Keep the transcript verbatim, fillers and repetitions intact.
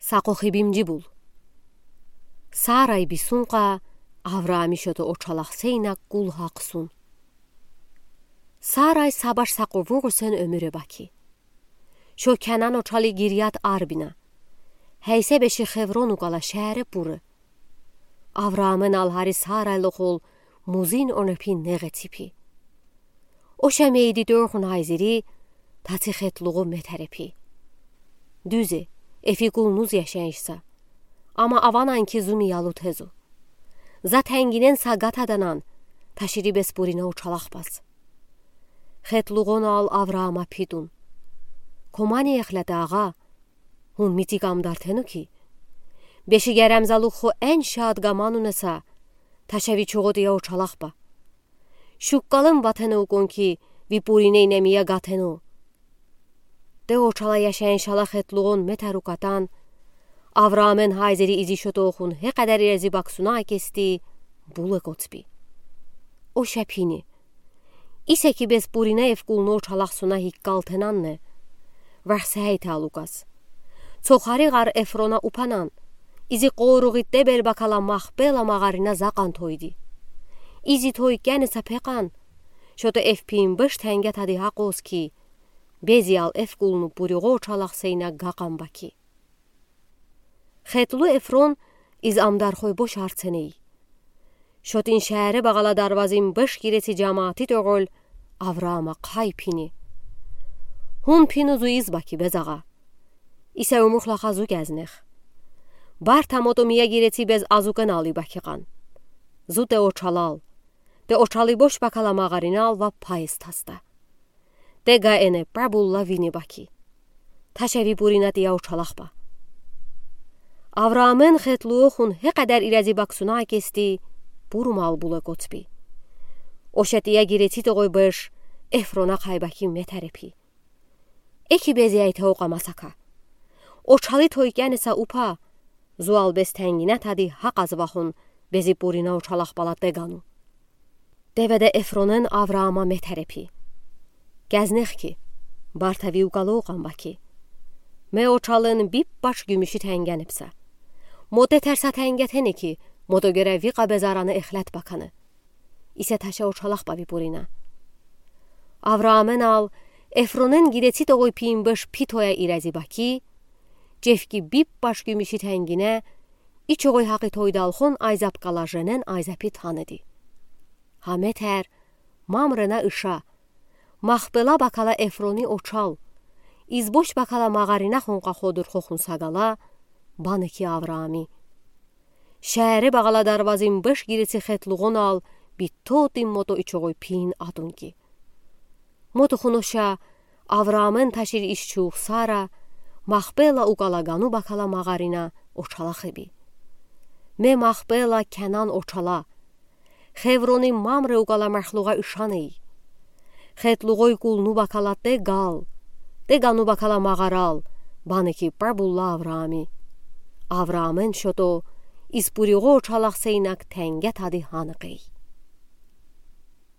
Сақохибим ӟибул. Сарай бисункъа Авраами шото очалах сейнаг гул гьахсун. Сарай са баш са къувур гусен уьмуьре бакъи. Шо Канан очали Гирят-Арбина, гьейсебеши Хеврон укала шаьре пуры. Авраамын ал гьари Сарай лохул музин онепин негъеципи. Оша мейди тӧрхун айзири, таци хетлугъу метерепи. Дуьзе, эфи кулнуз яшайыш са. Амма аванан ки зумиялу тезу. За тенгинен са гатаданан, ташири бес пурина очалах бас. Хетлугъун ал Авраама пи тун. Комани эхлета, агъа, гьун митик амдар тену ки. Беши герем залух хо эн шад гамануна са, ташеви чугъутия очалах ба. Шуккалын ватена укун ки, ви пуриней немия гатену. Те очала яшайын шала хетлугъун метерукатан, Авраамын гьайзири изи шотохун гьекъадар ирези баксуна акести, булы коцпи. Оша пини. Исе ки бес пурина эф кулну очалах суна гиккал тенанне. Варсейталукас. Цохари гъар Эфрона упанан. Изи къоругъи тебел бакала Махпела магъарина закъан тойди. Изи той кяни са пекъан. Шото эф пиин быш тенге тади гьакъоз ки. Бези ал эф кулну пуригъо очалах сейна гакъан бакъи. Хетлу Эфрон из амдархой бош арценей. Шотин шаьре багъала дарвазин быш гиреци жамаати тёгъол Авраама хъай пини. Гьун пину зу из бакъи безагъа. Исе умухлаха зу кезнех. Барта мото мия гиреци без азукын али бакъи къан. Зу те очалал. Те очали бош бакала магъаринал ва пайыс таста. Тега эне прабулла вини бакъи. Ташеви пурина тия очалах ба. Авраамын хетлуохун гьекъадар ирези баксуна акести, пурумал булы коцпи. Оша тия гиреци тогъой быш Эфрона хъай бакъи метерепи. Эки бези айте окъа масака. Очали той кяни са упа, зуал бес тенгина тади гьакъаз вахун бези пурина очалах бала тегану. Деведе Эфронын Авраама метерепи. Кезнех ки, барта ви укало къан бакъи. Ме очалын биппаш гюмюши тенген ипса. Моте терса тенге тени ки, мото гере ви къабезараны эхлет баканы. Исе таша очалах ба ви пурина. Авраамын ал Эфронын гиреци тогъой пиин быш пи тоя ирези бакъи, чевки биппаш гюмюши тенгине, ичогъой гьакъи тойдалхун айзап кала женен айзапи таныди. Гьа метер, Мамрена ыша, Махпела бакала Эфрони очал, из бош бакала магъарина хункъа ходур хохун сагала, баны ки Авраами. Шаьре багъала дарвазин быш гиреци хетлугъун ал битотин мото ичогъой пиин атун ки. Мото хуноша Авраамын ташир ишчух Сара, Махпела укала гану бакала магъарина очалах иби. Ме Махпела Канан очала. Хеврони Мамре укала мехлугъа ышаней. Хетлугъой кулну бакала тегал, тегану бакала магъарал, баны ки прабулла Авраами. Авраамын шото из пуригъо очалах сейнаг тенге тади гьаныкъей.